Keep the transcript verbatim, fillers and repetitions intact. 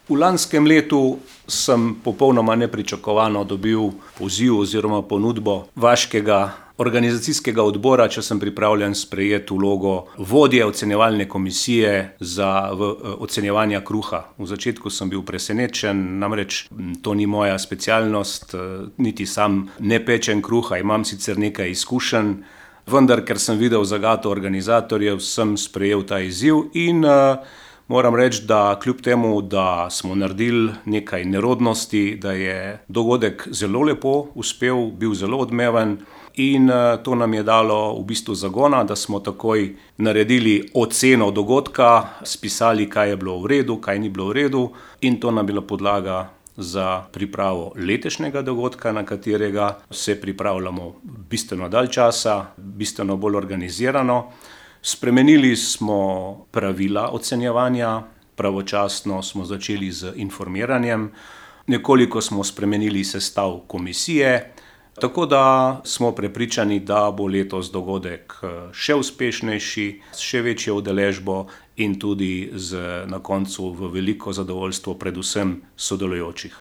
V lanskem letu sem popolnoma nepričakovano dobil poziv oziroma ponudbo vaškega organizacijskega odbora, če sem pripravljen sprejeti vlogo vodje ocenjevalne komisije za v, ocenjevanja kruha. V začetku sem bil presenečen, namreč to ni moja specialnost, niti sam ne pečem kruha, imam sicer nekaj izkušenj, vendar ker sem videl zagato organizatorjev, sem sprejel ta izziv in uh, moram reči, da kljub temu, da smo naredili nekaj nerodnosti, da je dogodek zelo lepo uspel, bil zelo odmeven in to nam je dalo v bistvu zagona, da smo takoj naredili oceno dogodka, spisali, kaj je bilo v redu, kaj ni bilo v redu in to nam je bila podlaga za pripravo letošnjega dogodka, na katerega se pripravljamo bistveno dalj časa, bistveno bolj organizirano. Spremenili smo pravila ocenjevanja, pravočasno smo začeli z informiranjem, nekoliko smo spremenili sestav komisije, tako da smo prepričani, da bo letos dogodek še uspešnejši, s še večjo udeležbo in tudi z, na koncu v veliko zadovoljstvo predvsem sodelujočih.